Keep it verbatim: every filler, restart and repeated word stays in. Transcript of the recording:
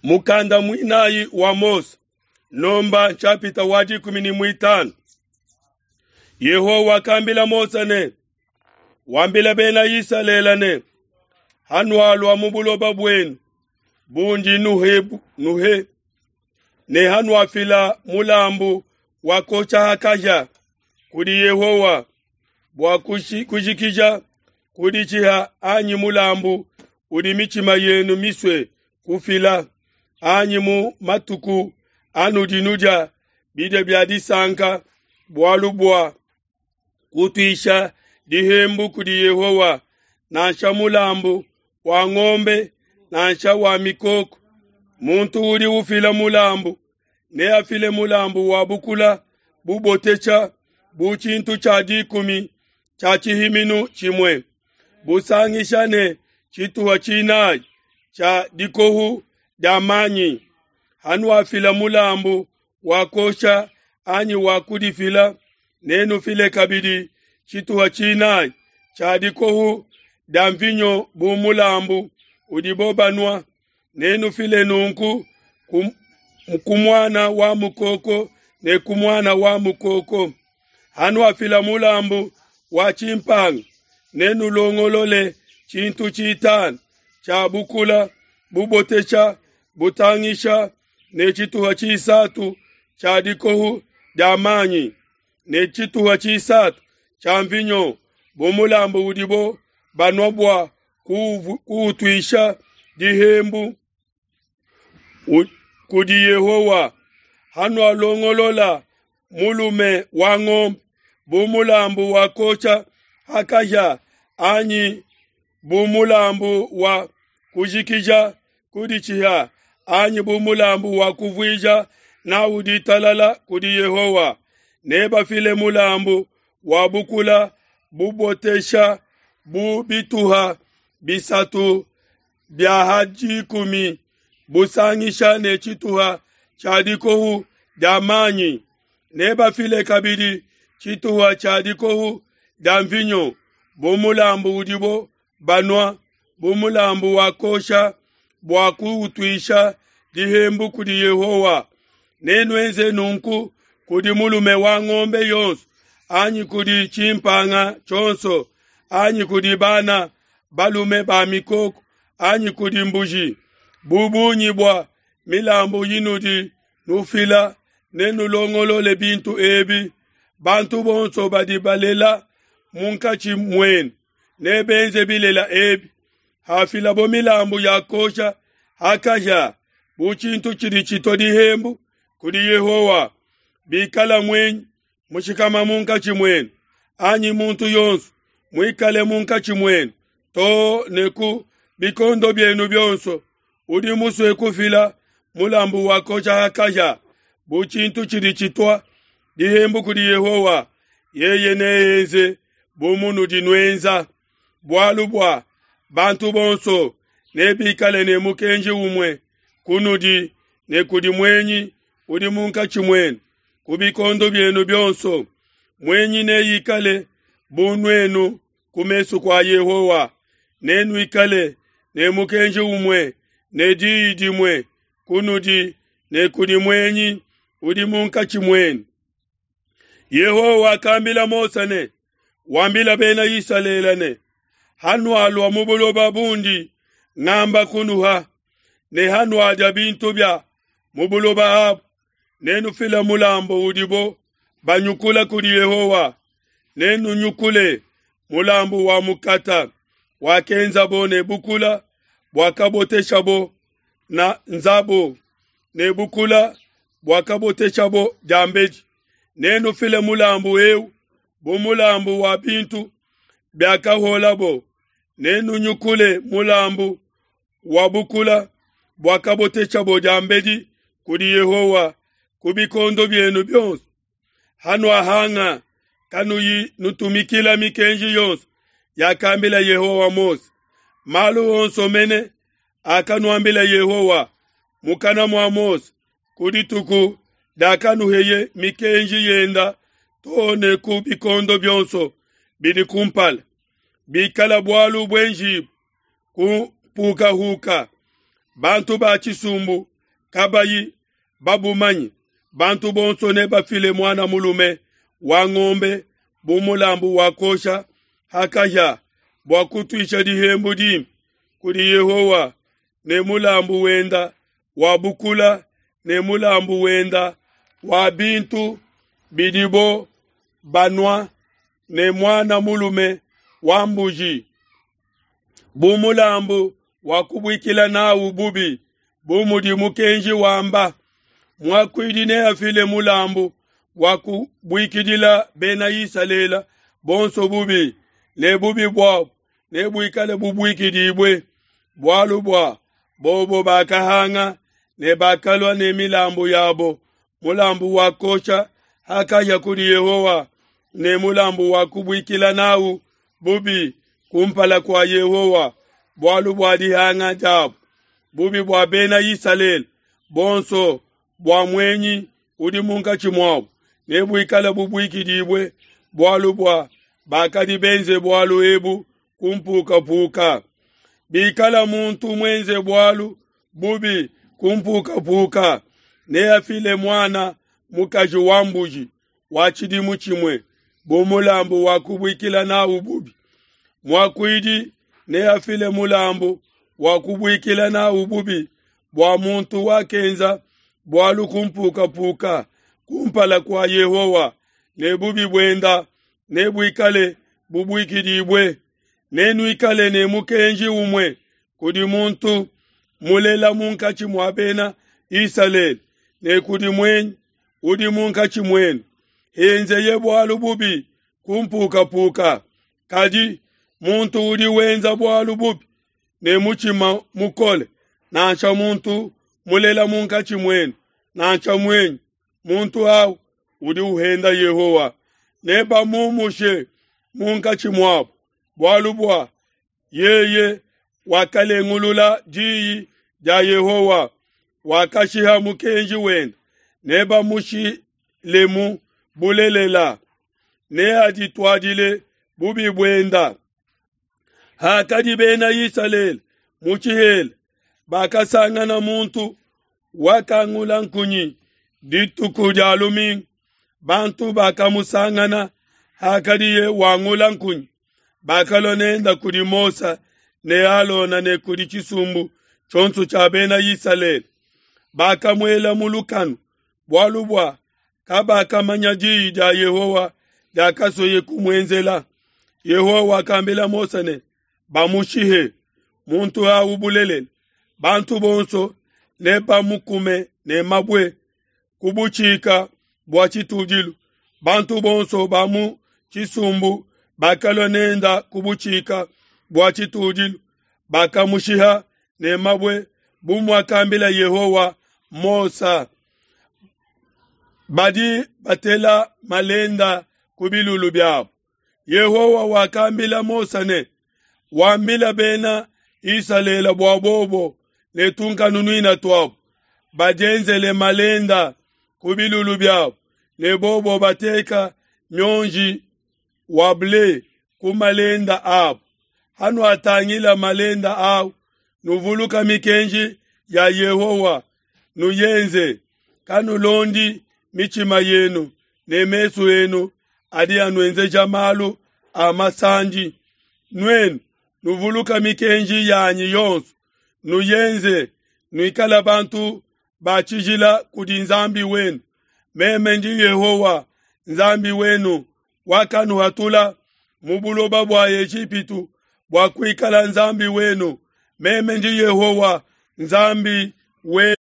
Mukanda muinayi wa Mose, nomba nshapita wa dikumi ne muitanu. Yehowa wakambila Mose ne, wambila bena Isalele ne, hanualua mu buloba buenu bundi nuhe, nuhe ne hanuafila mulambu wa kosha ha kahia kudi Yehowa bua kujikija kuditshiha anyi mulambu udi mitshima yenu misue kufila, anyi mu matuku anudi nudia bidia bia disanka bualu bua kutuisha dihembu kudi Yehowa, nansha mulambu wa ngombe nansha wa mikoko. Muntu udi ufila mulambu neafile mulambu wa bukula bubotesha bu tshintu tshia dikumi tshia tshihiminu tshimue, busangisha ne tshituha tshinayi tshia dikohu dia manyi. Hanuafila mulambu wa kosha anyi wa kudifila, nenufile kabidi tshituha tshinayi tshia dikohu dia mvinyo bu mulambu udibo banua. Nenufile nunku ku muana wa mukoko ne ku muana wa mukoko. Hanuafila mulambu wa tshimpanga, nenulongolole tshintu tshitanu tshia bukula bubotesha butangisha ne tshituha tshisatu tshia dikohu dia manyi ne tshituha tshisatu tshia mvinyo bu mulambu udibo banua bua kuutuisha dihembu kudi Yehowa. Hanualongolola mulume wa ngombe bu mulambu wa kosha ha kahia anyi bu mulambu wa kujikija kuditshiha anyi bu mulambu wa kuvuija nawu ditalala kudi Yehowa, nebafile mulambu wa bukula bubotesha bu bituha bisatu bia ha dikumi busangisha ne tshituha tshia dikohu dia manyi. Nebafile kabidi tshituha tshia dikohu dia mvinyo bu mulambu udibo banua, bu mulambu wa kosha bua kuutuisha dihembu kudi Yehowa. Nenuenze nunku kudi mulume wa ngombe yonso anyi kudi tshimpanga tshionso anyi kudi bana balume ba mikoko anyi kudi mbuji. Bu bungi bua milambu inudi nufila, nenulongolole bintu ebi. Bantu bonso badi balela munkatshi muenu nebenze bilela ebi. Hafilabo milambu ya kosha ha kahia bu tshintu tshidi tshitua dihembu kudi Yehowa, bikala muenyi mushikama munkatshi muenu anyi muntu yonso muikale munkatshi muenu too ne ku bikondo bienu bionso, udi musue kufila mulambu wa kosha ha kahia bu tshintu tshidi tshitua dihembu kudi Yehowa, yeye neenze bu munudi nuenza. Bualu bua bantu bonso nebikale ne mukenji umue kunudi ne kudi muenyi udi munkatshi muenu ku bikondo bienu bionso. Muenyi neikale bu nuenu ku mesu kua Yehowa, nenuikale ne mukenji umue ne diyi dimue kunudi ne kudi muenyi udi munkatshi muenu. Yehowa wakambila Mose ne, wambila bena Isalele ne, hanualua mu buloba bundi ngamba kunuha, ne hanuadia bintu bia mu buloba abu, nenufile mulambu udibo banyukula kudi Yehowa. Nenunyukule mulambu wa mukata wakenzabo ne bukula buakaboteshabo na nzabo ne bukula buakaboteshabo diambedi. Nenufile mulambu eu bu mulambu wa bintu biakaholabo. Nenunyukule mulambu wa bukula buakaboteshabo diambedi kudi Yehowa ku bikondo bienu bionso. Hanuahanga kanuyi nutumikila mikenji yonso yakambila Yehowa Mose, malu onso mene akanuambila Yehowa mukana mua Mose ku dituku diakanuheye mikenji yenda too ne ku bikondo bionso bidi kumpala. Bikala bualu buenjibu ku mpukahuka, Bantu ba tshisumbu kabayi babumanye, bantu bonso nebafile muana mulume wa ngombe bu mulambu wa kuosha ha kahia bua kutuisha dihembu dimpe kudi Yehowa, ne mulambu wenda wa bukula ne mulambu wenda wa bintu bidibo banua ne muana mulume wa mbuji bu mulambu wa kubuikila nawu bubi, bu mudi mukenji wamba. Muakuidi neafile mulambu wa kubuikidila Bena Isalele bonso bubi, ne bubi buabo nebuikale bubuikidibue, bualu bua bobo bakahanga ne bakalua ne milambu yabo, mulambu wa kuosha ha kahia kudi Yehowa ne mulambu wa kubuikila nawu bubi kumpala kua Yehowa, bualu bua dihanga diabo. Bubi bua Bena Isalele bonso bua muenyi udi munkatshi muabo nebuikale bubuikidibue, bualu bua bakadi benze bualu ebu ku mpukapuka. Bikala muntu muenze bualu bubi ku mpukapuka, neafile muana mukaji wa mbuji wa tshidimu tshimue bu mulambu wa kubuikila nawu bubi. Muakuidi neafile mulambu wa kubuikila nawu bubi bua muntu wakenza bualu ku mpukapuka kumpala kua Yehowa, ne bubi buenda nebuikale bubuikidibue. Nenuikale ne mukenji umue kudi muntu mulela munkatshi mua Bena Isalele ne kudi muenyi udi munkatshi muenu, henzeye bualu bubi ku mpukapuka. Kadi muntu udi wenza bualu bubi ne mutshima mukole, nansha muntu mulela munkatshi muenu, nansha muenyi, muntu awu udi uhenda Yehowa, nebamumushe munkatshi muabo, bualu bua yeye wakalengulula diyi dia Yehowa, wakashiha mukenji wende, nebamushilemu bulelela, neadituadile bubi buenda. Hakadi Bena Isalele mu tshihela, bakasangana muntu wakangula nkunyi dituku dia lumingu. Bantu bakamusangana hakadiye wangula nkunyi, bakalua nenda kudi Mose ne Alona ne kudi tshisumbu tshionso tshia Bena Isalele. Bakamuela mu lukanu, bualu bua kabakamanya diyi dia Yehowa diakasoye kumuenzela. Yehowa wakambila Mose ne, bamushihe muntu awu bulelela, bantu bonso nebamukume ne mabue ku butshika bua tshitudilu. Bantu bonso ba mu tshisumbu bakalua nenda ku butshika bua tshitudilu, bakamushiha ne mabue bu muakambila Yehowa Mose. Badi batela malenda ku bilulu biabo. Yehowa wakambila Mose ne, wambila Bena Isalele bua bobo ne tunkanunuina tuabo badienzele malenda ku bilulu biabo, ne bobo bateka mionji wa ble ku malenda abo. Hanuatangila malenda awu, nuvuluka mikenji ya Yehowa, nuyenze. Kanulondi mitshima yenu ne mesu enu adi anuenzeja malu a masandi. Nuenu nuvuluka mikenji yanyi yonso, nuyenze, nuikala bantu ba tshijila kudi Nzambi wenu. Meme ndi Yehowa Nzambi wenu wakanuhatula mu buloba bua Ejipitu bua kuikala Nzambi wenu. Meme ndi Yehowa Nzambi wenu.